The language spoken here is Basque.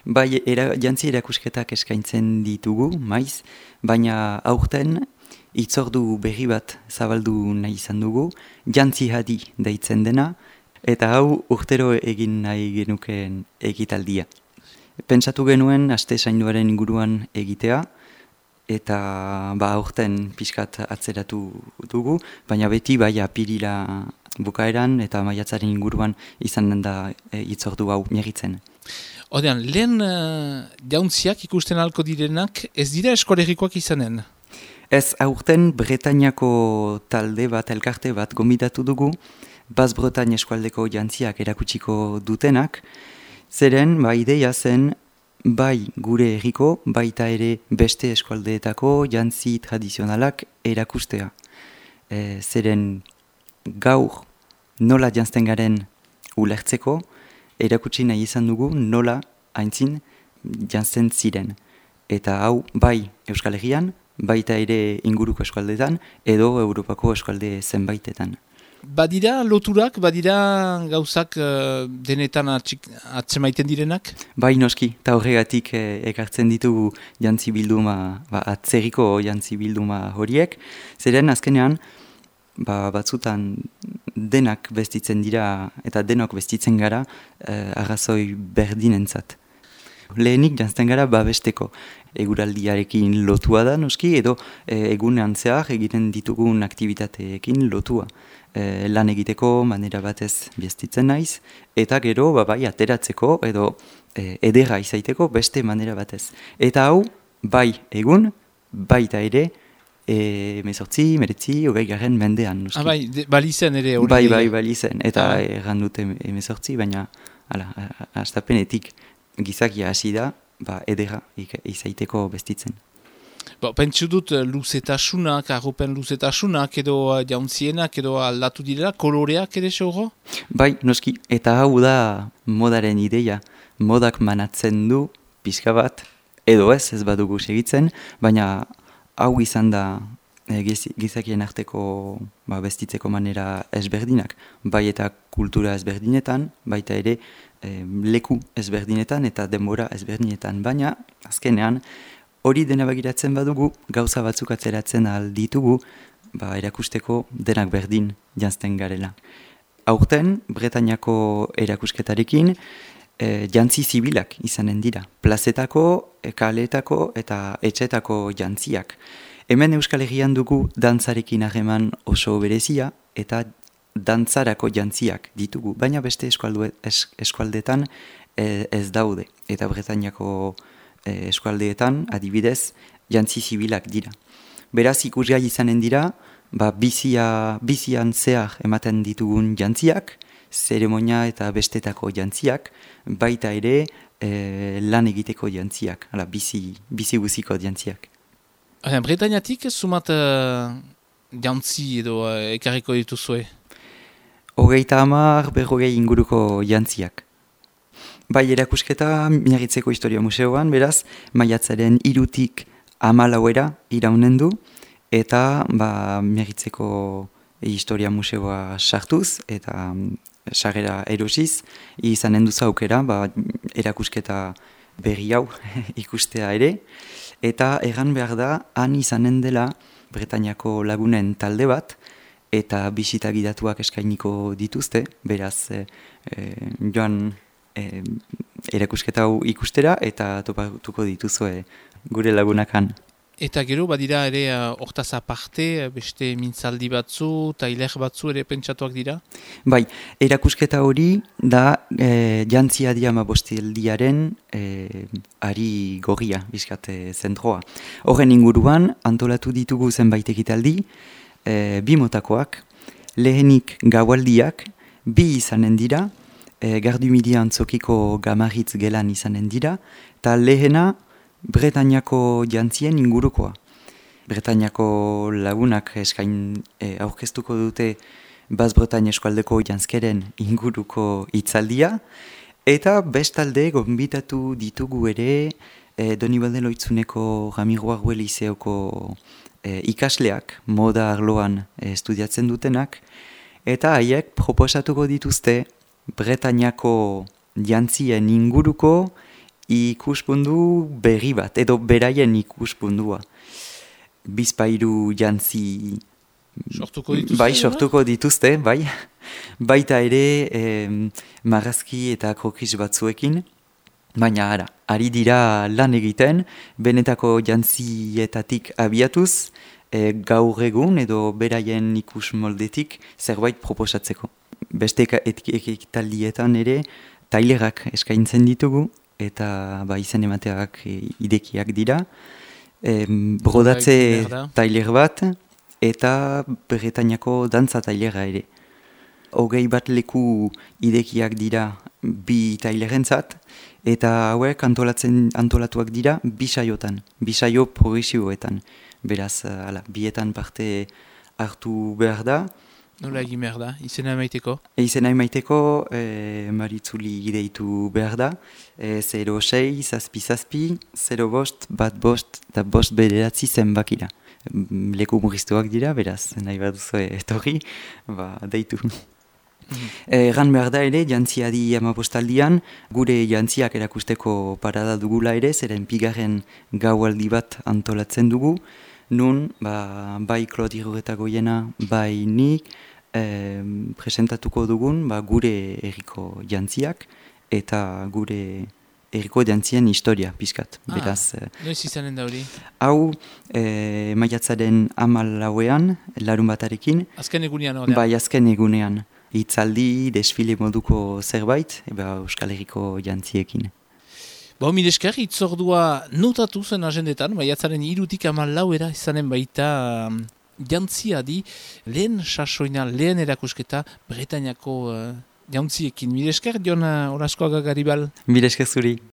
Bai, jantzi erakusketak eskaintzen ditugu, maiz, baina aurten hitzordu berri bat zabaldu nahi izan dugu, jantzi hadi deitzen dena, eta hau urtero egin nahi genukeen egitaldia. Pentsatu genuen aste zainduaren inguruan egitea, eta aurten pixkat atzeratu dugu, baina beti bai apirila bukaeran eta maiatzaren inguruan izan da hitzordu hau miagitzen. Odean, lehen jauntziak ikusten halko direnak ez dira eskolegikoak izanen? Ez, aurten Bretañako talde bat, elkarte bat gombidatu dugu, Bas-Bretagne eskualdeko jantziak erakutsiko dutenak, zeren ideia zen bai gure herriko, baita ere beste eskualdeetako jantzi tradizionalak erakustea. Zeren gaur nola jantzten garen ulertzeko, erakutsi nahi izan dugu nola aintzin jantzen ziren. Eta hau bai Euskal Herrian, baita ere inguruko eskualdetan, edo Europako eskualde zenbaitetan. Badira loturak, badira gauzak denetan atzemaiten direnak? Bai noski, eta horregatik ekartzen ditugu jantzi bilduma, atzerriko jantzi bilduma horiek, zeren azkenean, batzutan denak bestitzen dira eta denok bestitzen gara arrazoi berdinentzat. Lehenik jantzten gara babesteko eguraldiarekin lotua da noski edo egunean zehar egiten ditugun aktibitateekin lotua. Lan egiteko manera batez bestitzen naiz eta gero bai ateratzeko edo edera izaiteko beste manera batez. Eta hau bai egun, baita ere 18, 19, 20 mendean. Nuski. Bai, balizen ere hori. Bai, balizen. Eta erran dute 18, baina hastapenetik gizakia hasi da, edera izaiteko bestitzen. Pentsu dut luzetasunak, arropen luzetasunak edo jauntzienak edo aldatu direla, koloreak ere xorro? Bai, noski. Eta hau da modaren ideia. Modak manatzen du pixka bat, edo ez badugu segitzen, baina hau izan da gizakien arteko bestitzeko manera ezberdinak. Bai eta kultura ezberdinetan, baita ere leku ezberdinetan eta denbora ezberdinetan. Baina, azkenean, hori dena begiratzen badugu, gauza batzuk atzeratzen alditugu, erakusteko denak berdin jantzten garela. Aurten, Bretañako erakusketarekin, jantzi zibilak izanen dira. Plazetako, kaleetako eta etxetako jantziak. Hemen Euskal Herrian dugu dantzarekin harreman oso berezia eta dantzarako jantziak ditugu. Baina beste eskualdeetan ez daude. Eta Bretañako eskualdeetan adibidez jantzi zibilak dira. Beraz ikusgai izanen dira, bizian zehar ematen ditugun jantziak, zeremonia eta bestetako jantziak, baita ere lan egiteko jantziak, bizi guziko jantziak. Bretañatik sumat jantzi edo ekarriko dituzue? 30, 40 inguruko jantziak. Bai erakusketa Miarritzeko Historia Museoan, beraz, maiatzaren 3-tik 14 iraunen du, eta Miarritzeko Historia Museoa sartuz, eta sarrera erosiz, izanen duzu aukera, erakusketa berri hau ikustea ere, eta egan behar da, han izanen dela Bretañako lagunen talde bat, eta bisita gidatuak eskainiko dituzte, beraz, joan erakusketa hau ikustera, eta topatuko dituzue gure lagunakan. Eta gero, badira ere hortaz aparte, beste mintzaldi batzu, tailer batzu ere pentsatuak dira? Bai, erakusketa hori da jantzi adi 15 ari gorria, bizkat zentroa. Horren inguruan, antolatu ditugu zenbait ekitaldi, 2 motakoak, lehenik gaualdiak, 2 izanen dira, Gardumidi antzokiko Gamarritz gelan izanen dira, eta lehena Bretañako jantzien ingurukoa. Bretañako lagunak aurkeztuko dute Bas-Bretagne eskualdeko jantzkeren inguruko hitzaldia, eta bestalde gonbitatu ditugu ere Donibane Loitzuneko Ramiro Arguel Lizeoko ikasleak, moda arloan estudiatzen dutenak, eta haiek proposatuko dituzte Bretañako jantzien inguruko ikuspundu berri bat, edo beraien ikuspundua. Bizpairu jantzi Sortuko dituzte? Bai, sortuko dituzte, bai. Baita ere marrazki eta krokis batzuekin. Baina ari dira lan egiten, benetako jantzietatik abiatuz, gaur egun edo beraien ikus moldetik zerbait proposatzeko. Beste ekitaldietan ere tailerak eskaintzen ditugu, eta izen emateak idekiak dira. Brodatze tailer bat, eta Bretañako dantza tailera ere. 21 leku idekiak dira bi tailerentzat, eta hauek antolatuak dira bi saio progresiboetan. Beraz, bietan parte hartu behar da. Nola egin behar da, izena emaiteko? Izena emaiteko Maritzuli ideitu behar da. 06, zazpi, 05, 15, eta 5 bederatzi zenbakira. Leku murriztuak dira, beraz, nahi bat duzu etorri, deitu. Egan behar da ere, jantziadi amapostaldian, gure jantziak erakusteko parada dugula ere, zeren pigarren gaualdi bat antolatzen dugu, nun, bai Klodi Iruretagoiena, bai nik, presentatuko dugun, gure herriko jantziak, eta gure herriko jantzien historia, pizkat. Beraz, noiz izanen da hori? Hau, maiatzaren 14ean, larun batarekin. Azken egunean hori? Bai, azken egunean. Hitzaldi, desfile moduko zerbait, Euskal Herriko jantziekin. Mil esker, itzordua notatu zen agendetan, maiatzaren 3-tik 14 izanen baita jantziadi, lehen sasoina, lehen erakusketa, Bretañako jantziekin. Mil esker, Jon Olaskoaga Garibal? Mil esker zuri.